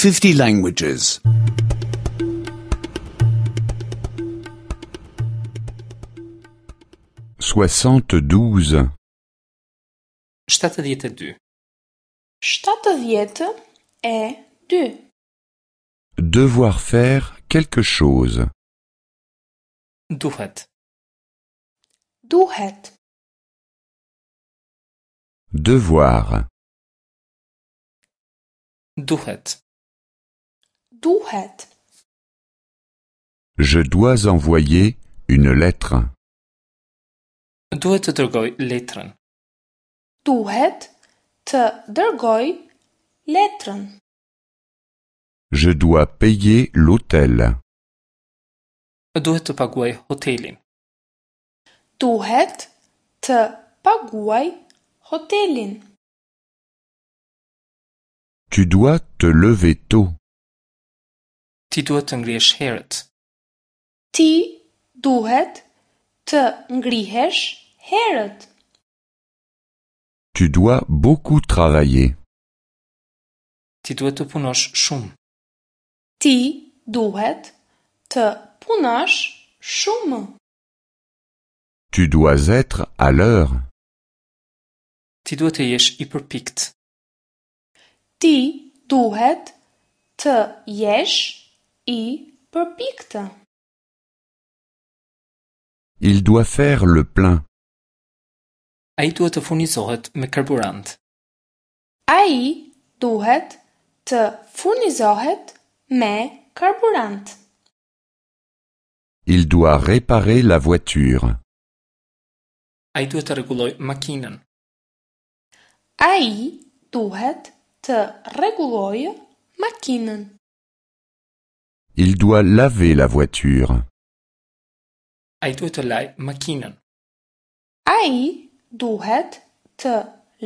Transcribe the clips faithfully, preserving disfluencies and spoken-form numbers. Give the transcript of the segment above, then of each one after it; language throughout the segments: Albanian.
fifty languages. soixante-douze, shtatëdhjetë e dy, shtatëdhjetë e dy. Devoir faire quelque chose. Duhet, Duhet, Devoir. Duhet, duhet. Je dois envoyer une lettre. Duhet të dërgoj letrën. Duhet të dërgoj letrën. Je dois payer l'hôtel. Duhet të paguaj hotelin. Duhet të paguaj hotelin. Tu dois te lever tôt. Ti duhet të ngrihesh herët. Ti duhet të ngrihesh herët. Tu dois beaucoup travailler. Ti duhet të punosh shumë. Ti duhet të punosh shumë. Tu dois être à l'heure. Ti duhet të jesh i përpikt. Ti duhet të jesh i përpiktë. Il doit faire le plein. Ai duhet të furnizohet me karburant. Ai duhet të furnizohet me karburant. Il doit réparer la voiture. Ai duhet të rregullojë makinën. Ai duhet të rregullojë makinën. Il doit laver la voiture. Ai duhet të lajë makinën. Ai duhet të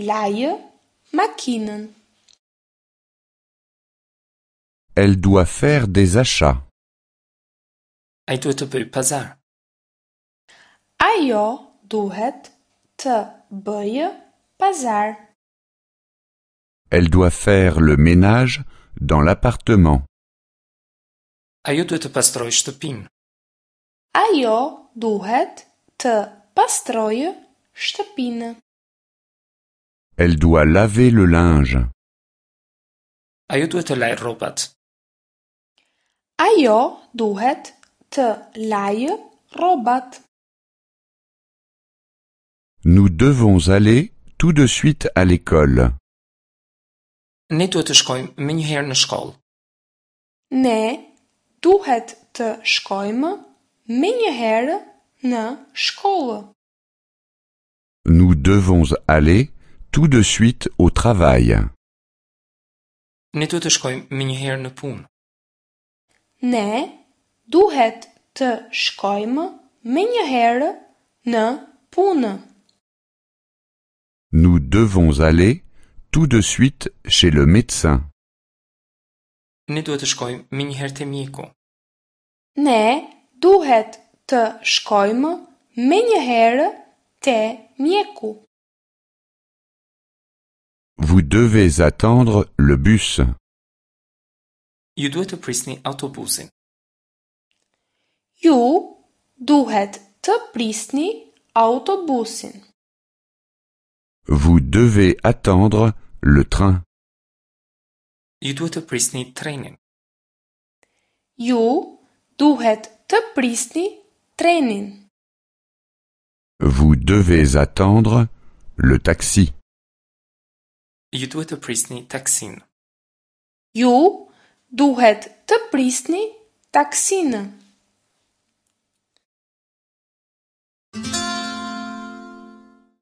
lajë makinën. Elle doit faire des achats. Ai duhet të bëjë pazar. Ajo duhet të bëjë pazar. Elle doit faire le ménage dans l'appartement. Ajo duhet të pastrojë shtëpinë. Ajo duhet të pastrojë shtëpinë. Elle doit laver le linge. Ajo duhet të lajë rrobat. Ajo duhet të lajë rrobat. Nous devons aller tout de suite à l'école. Ne duhet të shkojmë menjëherë në shkollë. Ne duhet të shkojmë menjëherë në shkollë. Nous devons aller tout de suite au travail. Ne duhet të shkojmë menjëherë në punë. Ne duhet të shkojmë menjëherë në punë. Nous devons aller tout de suite chez le médecin. Ne duhet të shkojmë menjëherë te mjeku. Ne duhet të shkojmë menjëherë te mjeku. Vous devez attendre le bus. Ju duhet të prisni autobusin. Ju duhet të prisni autobusin. Vous devez attendre le train. Ju duhet të prisni trenin. Ju duhet të prisni trenin. Vous devez attendre le taxi. Ju duhet të prisni taksin. Ju duhet të prisni taksinë.